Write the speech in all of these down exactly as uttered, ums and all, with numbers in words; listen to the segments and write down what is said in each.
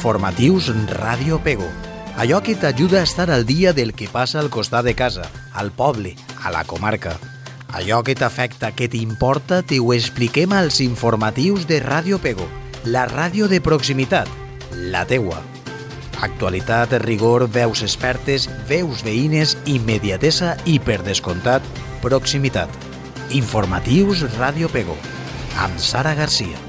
Informatius Ràdio Pego. Allò que t'ajuda a estar al dia del que passa al costat de casa, al poble, a la comarca. Allò que t'afecta, que t'importa, t'ho expliquem als informatius de Ràdio Pego, la ràdio de proximitat, la teua. Actualitat, rigor, veus expertes, veus veïnes, immediatesa i, per descomptat, proximitat. Informatius Ràdio Pego, amb Sara Garcia.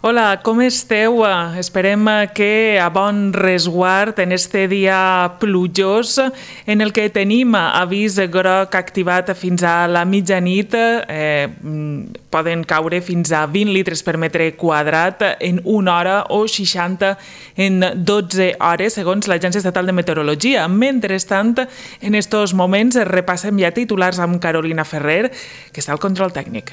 Hola, com esteu? Esperem que a bon resguard en este dia plujós en el que tenim avís groc activat fins a la mitjanit. Eh, poden caure fins a vint litres per metre quadrat en una hora o seixanta en dotze hores, segons l'Agència Estatal de Meteorologia. Mentrestant, en estos moments repassem ja titulars amb Carolina Ferrer, que està al control tècnic.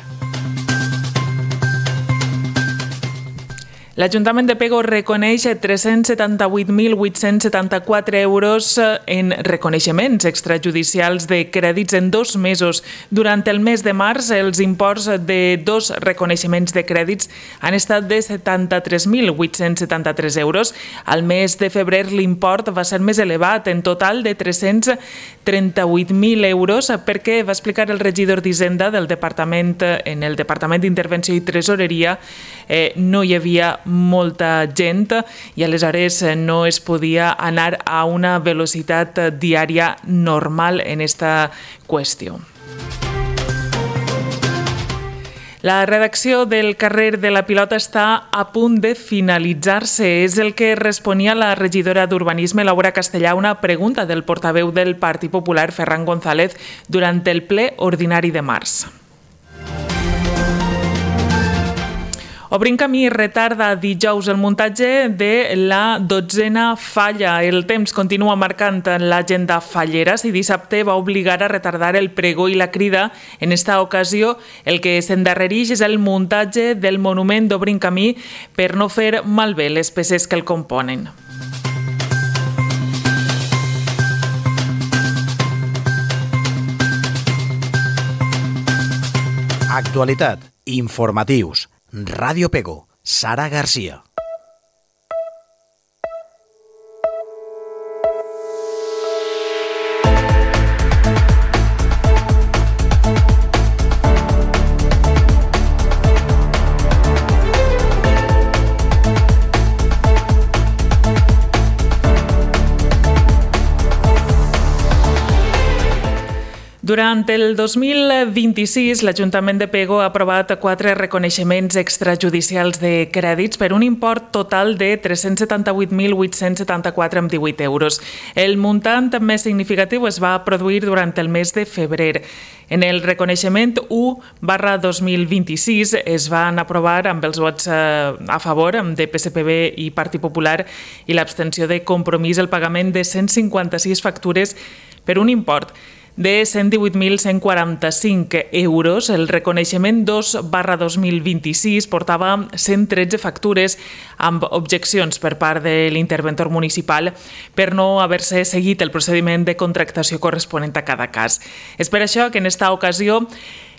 L'Ajuntament de Pego reconeix tres-cents setanta-vuit mil vuit-cents setanta-quatre euros en reconeixements extrajudicials de crèdits en dos mesos. Durant el mes de març, els imports de dos reconeixements de crèdits han estat de setanta-tres mil vuit-cents setanta-tres euros. Al mes de febrer l'import va ser més elevat, en total de tres-cents trenta-vuit mil euros, perquè va explicar el regidor d'Hisenda del departament, en el Departament d'Intervenció i Tresoreria, eh, no hi havia molta gent i aleshores no es podia anar a una velocitat diària normal en esta qüestió. La redacció del carrer de la Pilota està a punt de finalitzar-se. És el que responia la regidora d'Urbanisme, Laura Castellà, a una pregunta del portaveu del Partit Popular, Ferran González, durant el ple ordinari de març. Obrim camí retarda dijous el muntatge de la dotzena falla. El temps continua marcant l'agenda fallera. Si dissabte va obligar a retardar el pregó i la crida, en esta ocasió el que s'endarrereix és el muntatge del monument d'Obrim camí per no fer malbé les peces que el componen. Actualitat, informatius. Ràdio Pego, Sara Garcia. Durant el dos mil vint-i-sis, l'Ajuntament de Pego ha aprovat quatre reconeixements extrajudicials de crèdits per un import total de tres-cents setanta-vuit mil vuit-cents setanta-quatre coma divuit euros. El muntant més significatiu es va produir durant el mes de febrer. En el reconeixement u barra dos mil vint-i-sis es van aprovar amb els vots a favor de P S P B i Partit Popular i l'abstenció de Compromís el pagament de cent cinquanta-sis factures per un import de cent divuit mil cent quaranta-cinc euros. El reconeixement dos barra dos mil vint-i-sis portava cent tretze factures amb objeccions per part de l'interventor municipal per no haver-se seguit el procediment de contractació corresponent a cada cas. És per això que en esta ocasió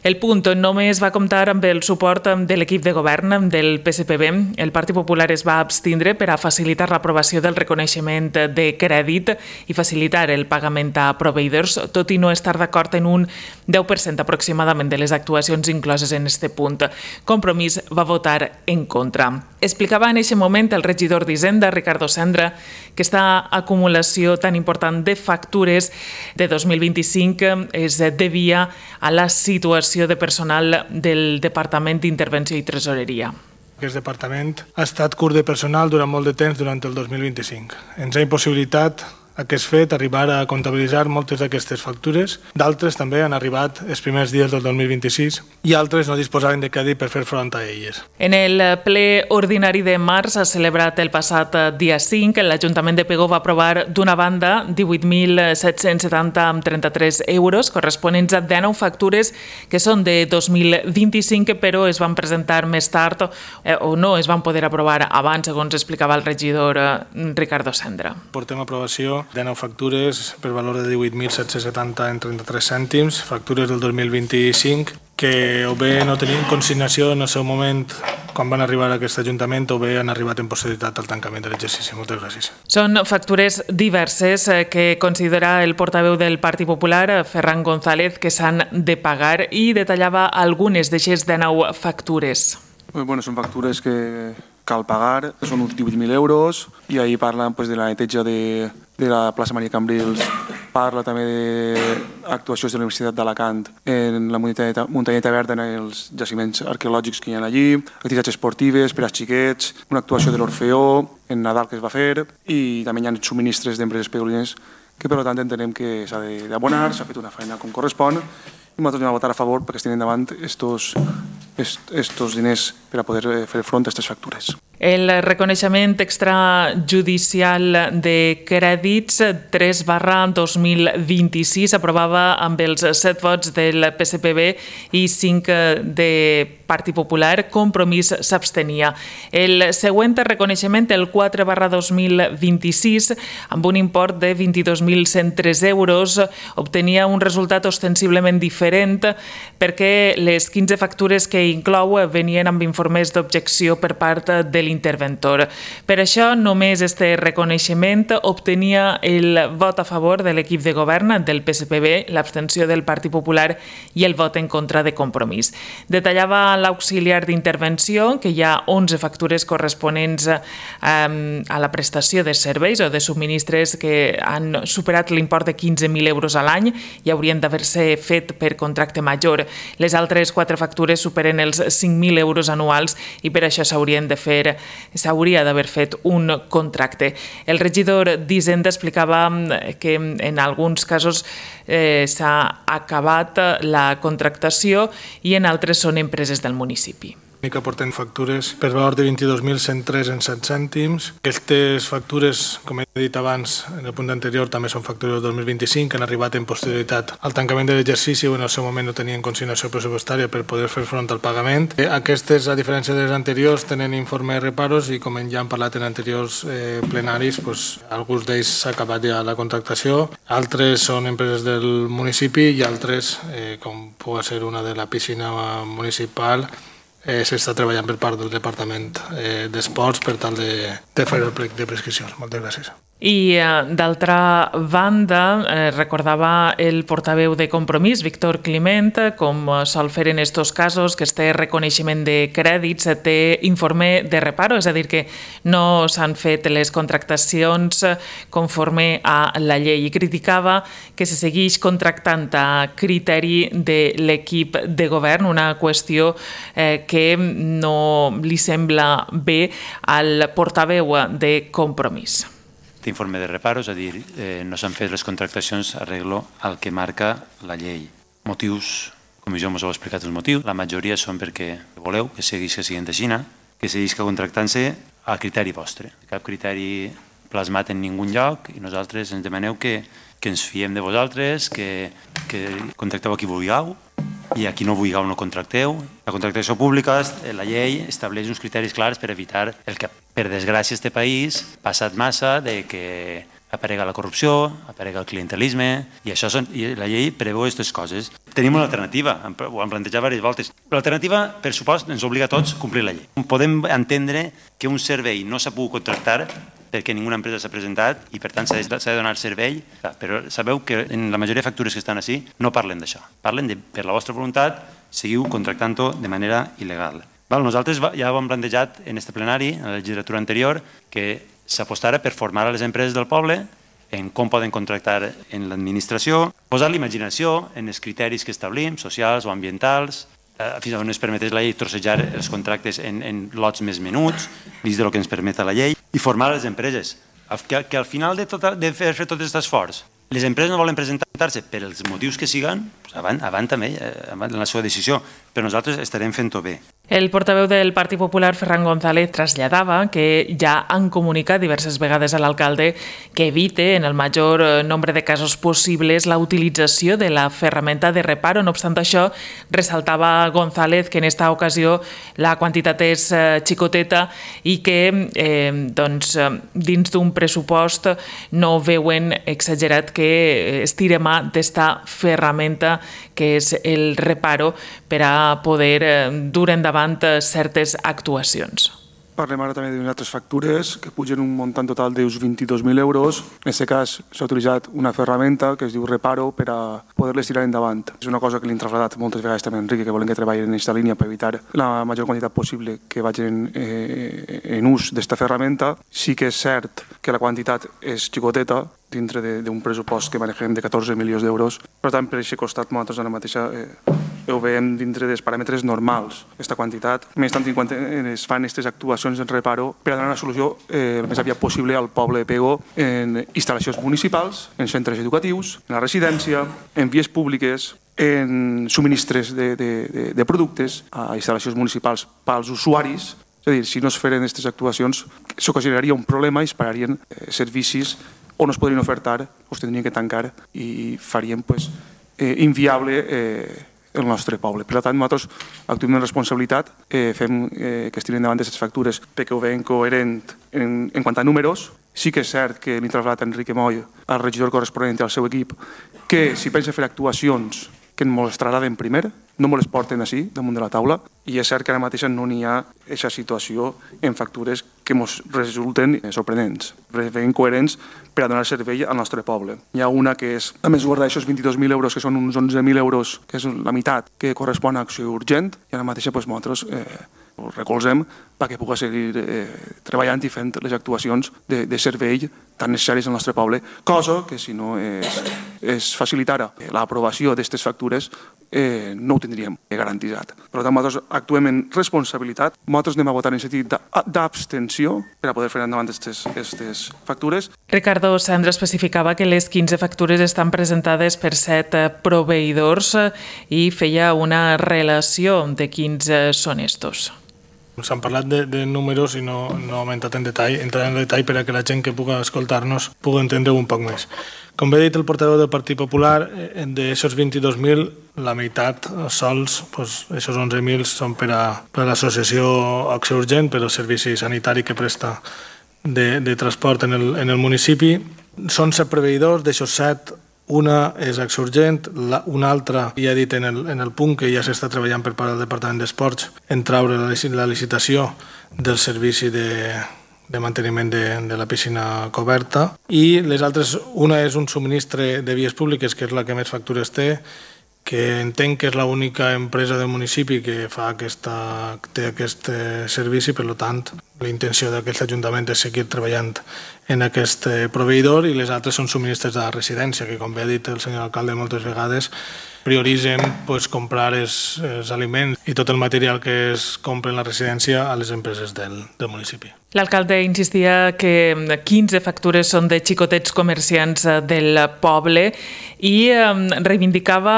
el punt només va comptar amb el suport de l'equip de govern del P S P B. El Partit Popular es va abstindre per a facilitar l'aprovació del reconeixement de crèdit i facilitar el pagament a proveïdors, tot i no estar d'acord en un deu per cent aproximadament de les actuacions incloses en aquest punt. Compromís va votar en contra. Explicava en aquest moment el regidor d'Hisenda, Ricardo Sendra, que aquesta acumulació tan important de factures de dos mil vint-i-cinc es devia a la situació de personal del Departament d'Intervenció i Tresoreria. Aquest departament ha estat curt de personal durant molt de temps durant el dos mil vint-i-cinc. Ens ha impossibilitat aquest fet, arribar a comptabilitzar moltes d'aquestes factures. D'altres també han arribat els primers dies del dos mil vint-i-sis i altres no disposaven de crèdit per fer front a elles. En el ple ordinari de març, celebrat el passat dia cinc, l'Ajuntament de Pego va aprovar d'una banda divuit mil set-cents setanta coma trenta-tres euros corresponents a dinou factures que són de dos mil vint-i-cinc, però es van presentar més tard eh, o no es van poder aprovar abans, segons explicava el regidor eh, Ricardo Sendra. Portem a aprovació dinou factures per valor de divuit mil set-cents setanta coma trenta-tres cèntims, factures del dos mil vint-i-cinc, que o bé no tenien consignació en el seu moment quan van arribar a aquest Ajuntament o bé han arribat en posterioritat al tancament de l'exercici. Moltes gràcies. Són factures diverses que considera el portaveu del Partit Popular, Ferran González, que s'han de pagar i detallava algunes d'aquestes dinou factures. Bueno, són factures que cal pagar, són uns divuit mil euros, i ahir parlen pues, de la neteja de, de la plaça Maria Cambrils, parla també d'actuacions de la Universitat d'Alacant en la muntanyeta, muntanyeta verda en els jaciments arqueològics que hi ha allí, activitats esportives per als xiquets, una actuació de l'Orfeó en Nadal que es va fer, i també hi ha subministres d'empreses pegolines que per tant entenem que s'ha d'abonar, s'ha fet una feina com correspon, i nosaltres anem a votar a favor perquè es tenen davant estos, estos diners per a poder fer front a aquestes factures. El reconeixement extrajudicial de crèdits tres barra dos mil vint-i-sis aprovava amb els set vots del P S P B i cinc de Partit Popular. Compromís s'abstenia. El següent reconeixement, el quatre barra dos mil vint-i-sis, amb un import de vint-i-dos mil cent tres euros, obtenia un resultat ostensiblement diferent perquè les quinze factures que inclou venien amb informes d'objecció per part de l'interventor. Per això, només este reconeixement obtenia el vot a favor de l'equip de govern del P S P B, l'abstenció del Partit Popular i el vot en contra de Compromís. Detallava l'auxiliar d'intervenció que hi ha onze factures corresponents a la prestació de serveis o de subministres que han superat l'import de quinze mil euros a l'any i haurien d'haver-se fet per contracte major. Les altres quatre factures superen els cinc mil euros anuals i per això s'haurien de fer s'hauria d'haver fet un contracte. El regidor d'Hisenda explicava que en alguns casos eh, s'ha acabat la contractació i en altres són empreses del municipi. Que aporten factures per valor de vint-i-dos mil cent tres coma set cèntims. Aquestes factures, com he dit abans, en el punt anterior, també són factures del dos mil vint-i-cinc, que han arribat en posterioritat al tancament de l'exercici o en el seu moment no tenien consignació pressupostària per poder fer front al pagament. Aquestes, a diferència de les anteriors, tenen informe de reparos i, com ja hem parlat en anteriors eh, plenaris, doncs, alguns d'ells s'ha acabat ja la contractació, altres són empreses del municipi i altres, eh, com pugui ser una de la piscina municipal, Eh, s'està treballant per part del Departament eh, d'Esports per tal de, de fer el plec de prescripcions. Moltes gràcies. I, d'altra banda, eh, recordava el portaveu de Compromís, Víctor Climent, com sol fer en estos casos, que este reconeixement de crèdits té informe de reparo, és a dir, que no s'han fet les contractacions conforme a la llei. I criticava que se segueix contractant a criteri de l'equip de govern, una qüestió eh, que no li sembla bé al portaveu de Compromís. Informe de reparo, és a dir, eh, no s'han fet les contractacions arreglo al que marca la llei. Motius, com jo us heu explicat els motius, la majoria són perquè voleu que seguís que siguin de Xina, que seguís que contractant-se a criteri vostre. Cap criteri plasmat en ningun lloc i nosaltres ens demaneu que, que ens fiem de vosaltres, que, que contracteu a qui vulgueu i a qui no vulgueu no contracteu. La contractació pública, la llei estableix uns criteris clars per evitar el que, per desgràcia, este país ha passat massa de que aparega la corrupció, aparega el clientelisme, i això són, i la llei preveu aquestes coses. Tenim una alternativa, ho hem plantejat diverses voltes. L'alternativa, per supost, ens obliga a tots a complir la llei. Podem entendre que un servei no s'ha pogut contractar perquè ninguna empresa s'ha presentat i per tant s'ha de donar servei, però sabeu que en la majoria de factures que estan així no parlen d'això. Parlen de, per la vostra voluntat, seguiu contractant-ho de manera il·legal. Nosaltres ja ho hem plantejat en este plenari, en la legislatura anterior, que s'apostara per formar a les empreses del poble en com poden contractar en l'administració, posar l'imaginació en els criteris que establim, socials o ambientals, fins on ens permetés la llei trossejar els contractes en, en lots més menuts, dins del que ens permet la llei, i formar les empreses. Que, que al final de, tot, de fer, fer tot aquest esforç les empreses no volen presentar-se per els motius que siguen, avant, avant també, avant la seva decisió, però nosaltres estarem fent-ho bé. El portaveu del Partit Popular, Ferran González, traslladava que ja han comunicat diverses vegades a l'alcalde que evite en el major nombre de casos possibles la utilització de la ferramenta de reparo. No obstant això, ressaltava González que en esta ocasió la quantitat és xicoteta i que eh, doncs, dins d'un pressupost no veuen exagerat que es tire mà d'esta ferramenta que és el reparo per a poder dur endavant certes actuacions. Parlem ara també d'unes altres factures que pugen un muntant total d'uns vint-i-dos mil euros. En aquest cas s'ha utilitzat una ferramenta que es diu Reparo per a poder-les tirar endavant. És una cosa que li hem traslladat moltes vegades també a Enrique, que volen que treballin en aquesta línia per evitar la major quantitat possible que vagin eh, en ús d'esta ferramenta. Sí que és cert que la quantitat és xicoteta, dintre d'un pressupost que manegem de catorze milions d'euros. Per tant, per aquest costat, nosaltres ara mateixa eh, ho veiem dintre dels paràmetres normals, aquesta quantitat. Més tant quan es fan aquestes actuacions en reparo per a donar una solució eh, el més aviat possible al poble de Pego en instal·lacions municipals, en centres educatius, en la residència, en vies públiques, en subministres de, de, de, de productes a instal·lacions municipals pels usuaris. És a dir, si no es feren aquestes actuacions, s'ocasionaria un problema i es pararien eh, servicis o no es podrien ofertar o es tindrien que tancar i farien pues, eh, inviable eh, el nostre poble. Per tant, nosaltres actuem amb responsabilitat, eh, fem eh, que es tiren davant d'aquestes factures perquè ho veiem coherent en, en quant a números. Sí que és cert que l'he traslladat a Enrique Moll, al regidor corresponent i al seu equip, que si pensa fer actuacions que ens les trasladen primer, no ens les porten així, damunt de la taula, i és cert que ara mateix no n'hi ha aquesta situació en factures que ens resulten sorprenents, ben coherents per a donar servei al nostre poble. Hi ha una que és, a més guardar aquests vint-i-dos mil euros, que són uns onze mil euros, que és la meitat, que correspon a acció urgent, i ara mateix doncs, nosaltres eh, ho recolzem perquè pugui seguir eh, treballant i fent les actuacions de, de servei tan necessàries al nostre poble, cosa que si no es, es facilitara l'aprovació d'aquestes factures eh, no ho tindríem garantitzat. Per tant, nosaltres actuem en responsabilitat, nosaltres anem a votar en sentit d'abstenció per a poder fer endavant aquestes factures. Ricardo Sandra especificava que les quinze factures estan presentades per set proveïdors i feia una relació de quins són estos. S'han parlat de, de números i no, no hem entrat en detall, entrar en detall per a que la gent que pugui escoltar-nos pugui entendre un poc més. Com bé ha dit el portaveu del Partit Popular, d'aquests vint-i-dos mil, la meitat sols, doncs, aquests onze mil són per a, per a l'associació Acció Urgent, per al servici sanitari que presta de, de transport en el, en el municipi. Són set proveïdors, d'aixòs set, una és Acció Urgent, la, una altra, ja he dit en el, en el punt que ja s'està treballant per part del Departament d'Esports en traure la, la licitació del servici de, de manteniment de, de la piscina coberta, i les altres, una és un subministre de vies públiques, que és la que més factures té, que entenc que és l'única empresa del municipi que fa aquesta, té aquest servici, per tant, la intenció d'aquest ajuntament és seguir treballant en aquest proveïdor, i les altres són subministres de la residència, que com bé ha dit el senyor alcalde moltes vegades, prioritzen pues, comprar els, els aliments i tot el material que es compra en la residència a les empreses del, del municipi. L'alcalde insistia que quinze factures són de xicotets comerciants del poble i reivindicava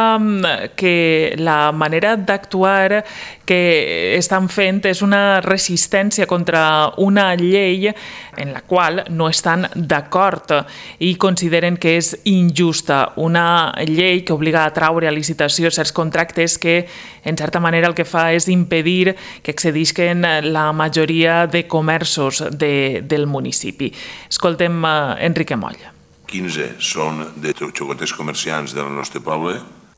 que la manera d'actuar que estan fent és una resistència contra una llei en la qual no estan d'acord i consideren que és injusta. Una llei que obliga a traure a licitació certs contractes que, en certa manera, el que fa és impedir que accedisquen la majoria de comerços de, del municipi. Escoltem uh, Enrique Moll. quinze són de xocoters comerciants del nostre poble,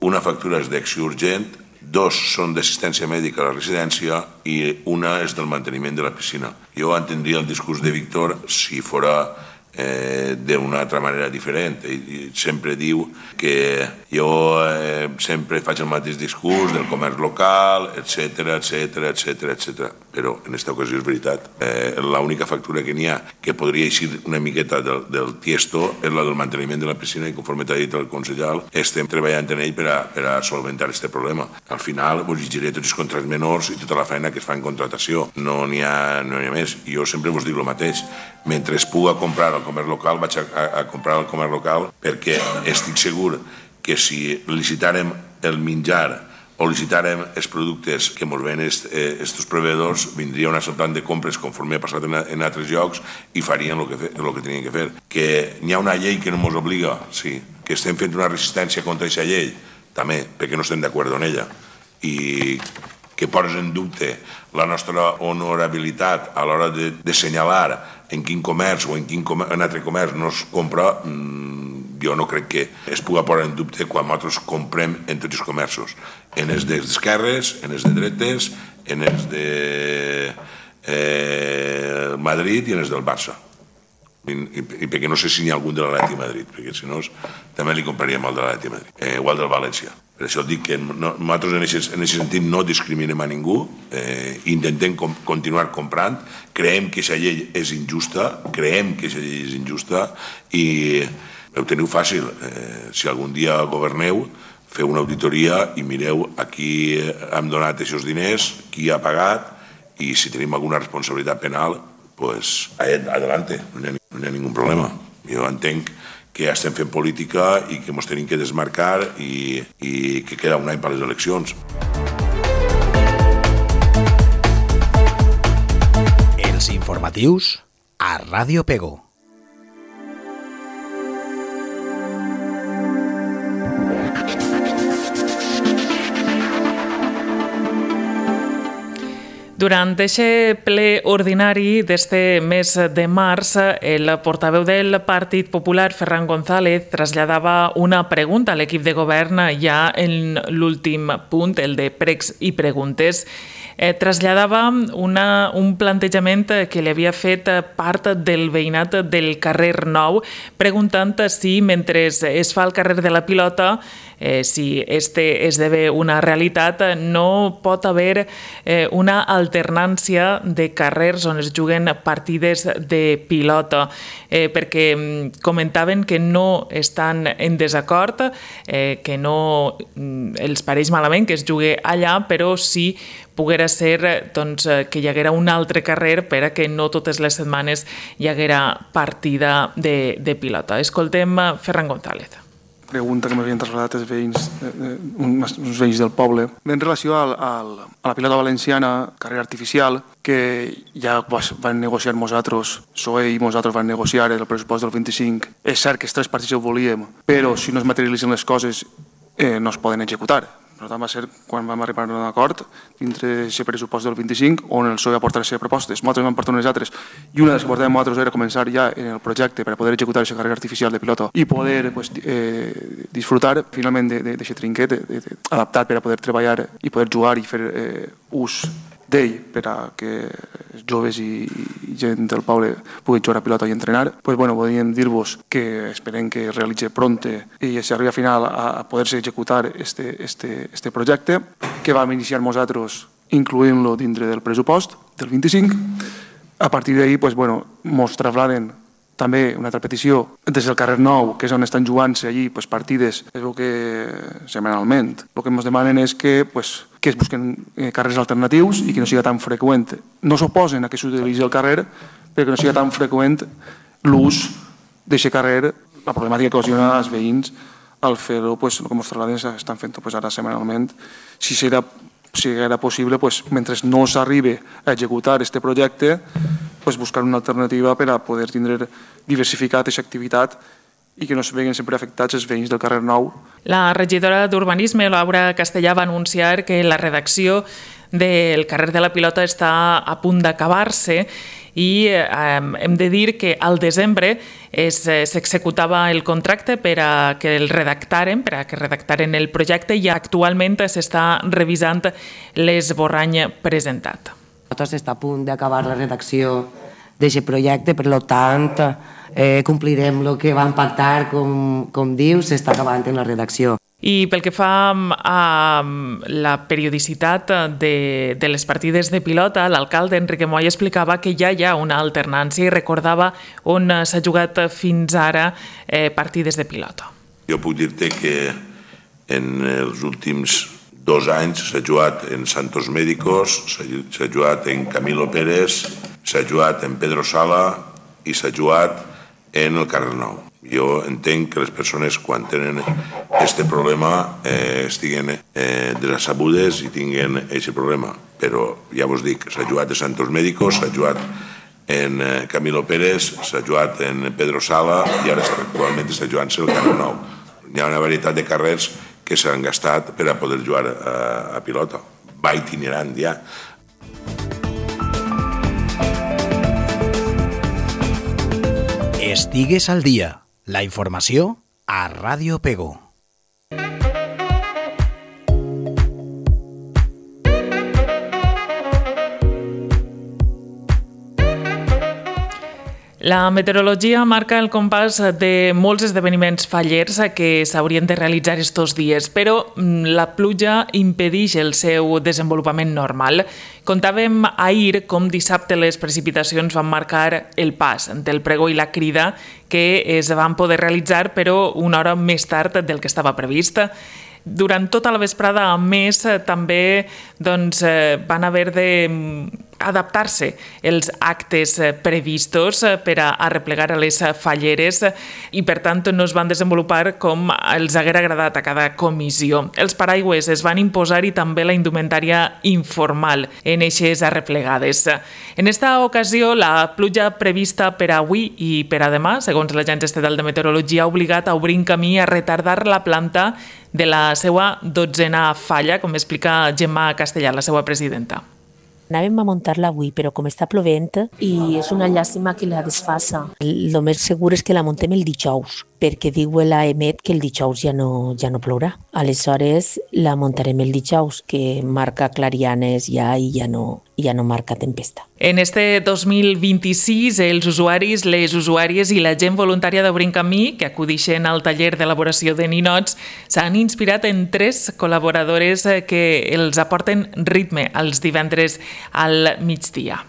una factura és d'Acció Urgent, dos són d'assistència mèdica a la residència i una és del manteniment de la piscina. Jo entendria el discurs de Víctor si fora eh, d'una altra manera diferent. I sempre diu que jo eh, sempre faig el mateix discurs del comerç local, etcètera, etcètera, etcètera, etcètera. Però en aquesta ocasió és veritat. Eh, l'única factura que n'hi ha que podria eixir una miqueta del, del tiesto és la del manteniment de la piscina, i conforme t'ha dit el consellal, estem treballant en ell per a, per a solventar aquest problema. Al final vos llegiré tots els contrats menors i tota la feina que es fa en contratació. No n'hi ha, no n'hi ha més. Jo sempre vos dic el mateix. mentre es puga comprar al comerç local, vaig a, a, a comprar al comerç local, perquè estic segur que si licitàrem el menjar o licitàrem els productes que ens ven aquests proveïdors, vindria un assaltant de compres conforme ha passat en, en altres llocs i farien el que, el que tenien que fer. Que n'hi ha una llei que no ens obliga, sí, que estem fent una resistència contra aquesta llei, també, perquè no estem d'acord amb ella. I que poses en dubte la nostra honorabilitat a l'hora de, de assenyalar en quin comerç o en quin comerç, en altre comerç no es compra, mmm, jo no crec que es pugui posar en dubte quan nosaltres comprem en tots els comerços, en els d'esquerres, en els de dretes, en els de eh, Madrid i en els del Barça. I, i, i perquè no sé si n'hi ha algun de l'Atleti Madrid, perquè si no també li compraríem el de l'Atleti Madrid, eh, o el del València. Per això dic que no, nosaltres en aquest sentit no discriminem a ningú, eh, intentem com, continuar comprant, creiem que aquesta llei és injusta, creiem que aquesta llei és injusta i ho teniu fàcil. Eh, si algun dia governeu, feu una auditoria i mireu a qui hem donat aquests diners, qui ha pagat i si tenim alguna responsabilitat penal, pues adelante, no hi ha, no hi ha ningú problema. Jo entenc que estem fent política i que ens tenim que desmarcar i, i que queda un any per les eleccions. Els informatius a Ràdio Pego. Durant aquest ple ordinari d'este mes de març, el portaveu del Partit Popular, Ferran González, traslladava una pregunta a l'equip de govern ja en l'últim punt, el de pregs i preguntes. Eh, traslladava una, un plantejament que li havia fet part del veïnat del carrer Nou, preguntant si mentre es fa el carrer de la Pilota, Eh, si este esdevé una realitat, no pot haver eh, una alternància de carrers on es juguen partides de pilota, eh, perquè comentaven que no estan en desacord, eh, que no els pareix malament que es jugui allà, però sí poguera ser doncs, que hi haguera un altre carrer per a que no totes les setmanes hi haguera partida de, de pilota. Escoltem Ferran González. Pregunta que m'havien traslladat els veïns, eh, uns, uns veïns del poble, en relació al, al, a la pilota valenciana, carrer artificial, que ja van negociar nosaltres, P S O E i nosaltres van negociar el pressupost del vint-i-cinc. És cert que els tres partits ho volíem, però si no es materialitzen les coses eh, no es poden executar. Per tant, va ser quan vam arribar a un acord dintre aquest pressupost del vint-i-cinc on el P S O E va portar les seves propostes. Nosaltres vam portar unes altres i una de les que portàvem nosaltres era començar ja en el projecte per a poder executar aquesta carrera artificial de pilota i poder pues, eh, disfrutar finalment d'aquest trinquet de, de, de, adaptat per a poder treballar i poder jugar i fer eh, ús d'ell per a que joves i, i gent del poble puguin jugar a pilota i entrenar, pues, bueno, podríem dir-vos que esperem que es realitzi pronte i s'arribi a final a poder-se executar este, este, este projecte que vam iniciar nosaltres incloent-lo dintre del pressupost del vint-i-cinc. A partir d'ahir, pues, bueno, mos trasladen també una altra petició des del carrer Nou, que és on estan jugant-se allí pues, partides, es veu que setmanalment. El que ens demanen és que, pues, que es busquen eh, carrers alternatius i que no sigui tan freqüent. No s'oposen a que s'utilitzi el carrer, però que no sigui tan freqüent l'ús d'aquest carrer, la problemàtica que ocasiona als veïns al fer-ho, pues, el que ens trasladen estan fent pues, ara setmanalment. Si serà si era possible, pues, mentre no s'arribi a executar aquest projecte, pues, buscar una alternativa per a poder tindre diversificat aquesta activitat i que no es veguen sempre afectats els veïns del carrer Nou. La regidora d'Urbanisme, Laura Castellà, va anunciar que la redacció del carrer de la Pilota està a punt d'acabar-se i eh, hem de dir que al desembre s'executava el contracte per a que el redactaren, per a que redactaren el projecte i actualment s'està revisant l'esborrany presentat. Nosaltres està a punt d'acabar la redacció d'aquest projecte, per tant, eh, complirem el que vam pactar, com, com dius, s'està acabant en la redacció. I pel que fa a la periodicitat de, de les partides de pilota, l'alcalde Enrique Moll explicava que ja hi ha una alternància i recordava on s'ha jugat fins ara eh, partides de pilota. Jo puc dir-te que en els últims dos anys s'ha jugat en Santos Médicos, s'ha jugat en Camilo Pérez, s'ha jugat en Pedro Sala, i s'ha jugat en el carrer Nou. Jo entenc que les persones, quan tenen aquest problema, eh, estiguen eh, desabudes i tinguen aquest problema. Però, ja vos dic, s'ha jugat a Santos Médicos, s'ha jugat en eh, Camilo Pérez, s'ha jugat en Pedro Sala i ara actualment està jugant-se el carrer Nou. Hi ha una varietat de carrers que s'han gastat per a poder jugar a, a pilota. Va itinerant ja. Estigues al dia. La informació a Ràdio Pego. La meteorologia marca el compàs de molts esdeveniments fallers que s'haurien de realitzar estos dies, però la pluja impedeix el seu desenvolupament normal. Contàvem ahir com dissabte les precipitacions van marcar el pas del pregó i la crida que es van poder realitzar, però una hora més tard del que estava previst. Durant tota la vesprada, a més, també doncs, van haver de adaptar-se els actes previstos per a arreplegar a les falleres i, per tant, no es van desenvolupar com els haguera agradat a cada comissió. Els paraigües es van imposar i també la indumentària informal en eixes arreplegades. En esta ocasió, la pluja prevista per avui i per a demà, segons l'Agència Estatal de Meteorologia, ha obligat a obrir un camí a retardar la planta de la seva dotzena falla, com explica Gemma Castellà, la seva presidenta. Anàvem a muntar-la avui, però com està plovent i és una llàstima que la desfassa. El més segur és que la muntem el dijous, perquè diu l'A E M E T que el dijous ja no, ja no plourà. Aleshores la muntarem el dijous, que marca clarianes ja i ja no, ja no marca tempesta. En este dos mil vint-i-sis, els usuaris, les usuàries i la gent voluntària d'Obrint Camí, que acudixen al taller d'elaboració de ninots, s'han inspirat en tres col·laboradores que els aporten ritme els divendres al migdia.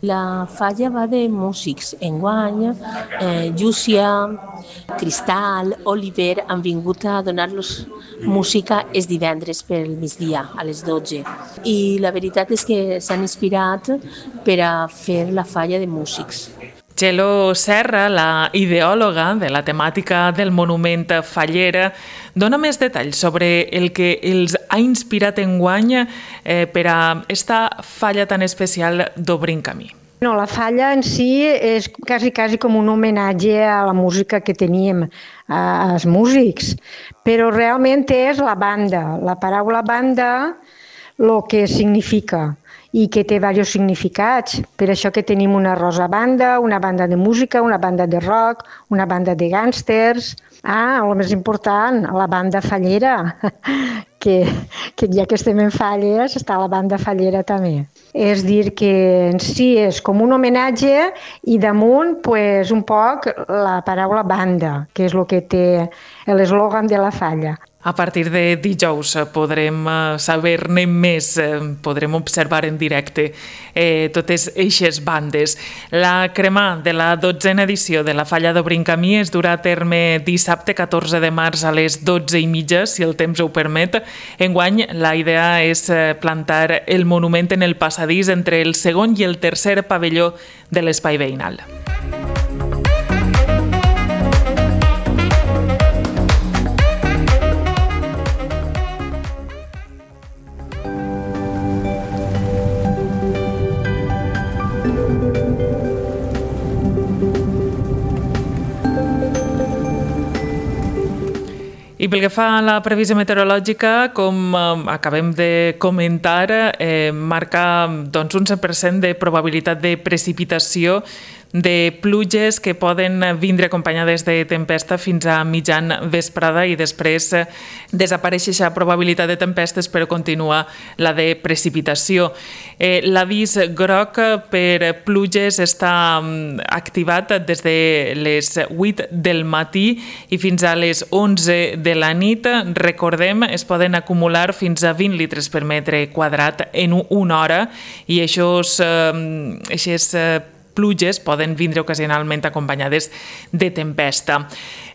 La falla va de músics. Enguany, eh, Llúcia, Cristal, Oliver han vingut a donar-los música els divendres pel migdia, a les dotze. I la veritat és que s'han inspirat per a fer la falla de músics. Txelo Serra, la ideòloga de la temàtica del monument faller, dona més detalls sobre el que els ha inspirat enguany eh, per a esta falla tan especial d'Obrint Camí. No, la falla en si és quasi, quasi com un homenatge a la música que teníem, als músics, però realment és la banda, la paraula banda, el que significa i que té diversos significats. Per això que tenim una rosa banda, una banda de música, una banda de rock, una banda de gàngsters. Ah, el més important, la banda fallera, que, que ja que estem en falles, està la banda fallera també. És dir, que en si és com un homenatge i damunt pues, un poc la paraula banda, que és el que té l'eslògan de la falla. A partir de dijous podrem saber-ne més, podrem observar en directe eh, totes eixes bandes. La crema de la dotzena edició de la Falla d'Obrint Camí es durà a terme dissabte catorze de març a les dotze i mitja, si el temps ho permet. Enguany, la idea és plantar el monument en el passadís entre el segon i el tercer pavelló de l'espai veïnal. I pel que fa a la previsió meteorològica, com eh, acabem de comentar, eh, marca doncs, un cent per cent de probabilitat de precipitació de pluges que poden vindre acompanyades de tempesta fins a mitjan vesprada i després desapareix aquesta probabilitat de tempestes però continua la de precipitació. Eh, L'avís groc per pluges està activat des de les vuit del matí i fins a les onze de la nit. Recordem, es poden acumular fins a vint litres per metre quadrat en una hora i aquests, eh, aquests pluges poden vindre ocasionalment acompanyades de tempesta.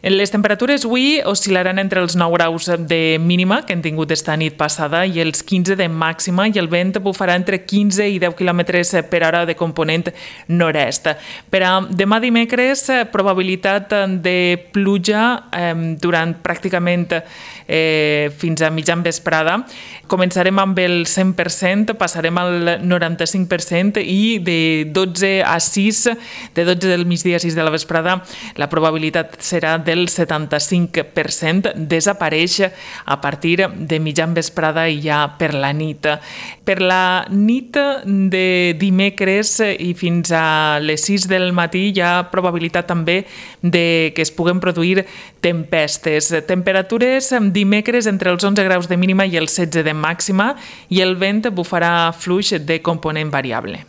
Les temperatures avui oscil·laran entre els nou graus de mínima que hem tingut esta nit passada i els quinze de màxima, i el vent bufarà entre quinze i deu quilòmetres per hora de component nord-est. Per a demà dimecres, probabilitat de pluja eh, durant pràcticament eh, fins a mitjan vesprada. Començarem amb el cent per cent, passarem al noranta-cinc per cent i de dotze a sis, de dotze del migdia a sis de la vesprada, la probabilitat serà del setanta-cinc per cent. Desapareix a partir de mitjan vesprada i ja per la nit. Per la nit de dimecres i fins a les sis del matí hi ha probabilitat també de que es puguen produir tempestes. Temperatures dimecres entre els onze graus de mínima i els setze de màxima, i el vent bufarà fluix de component variable.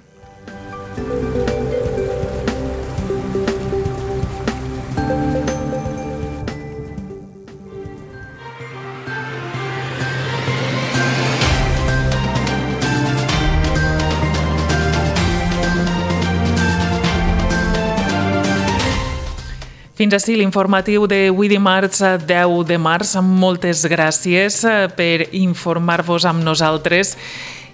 Fins ací l'informatiu d'avui dimarts deu de març. Moltes gràcies per informar-vos amb nosaltres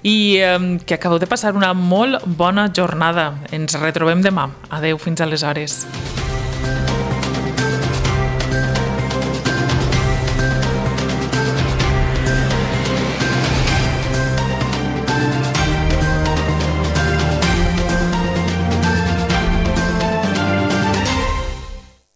i que acabeu de passar una molt bona jornada. Ens retrobem demà. Adeu, fins aleshores.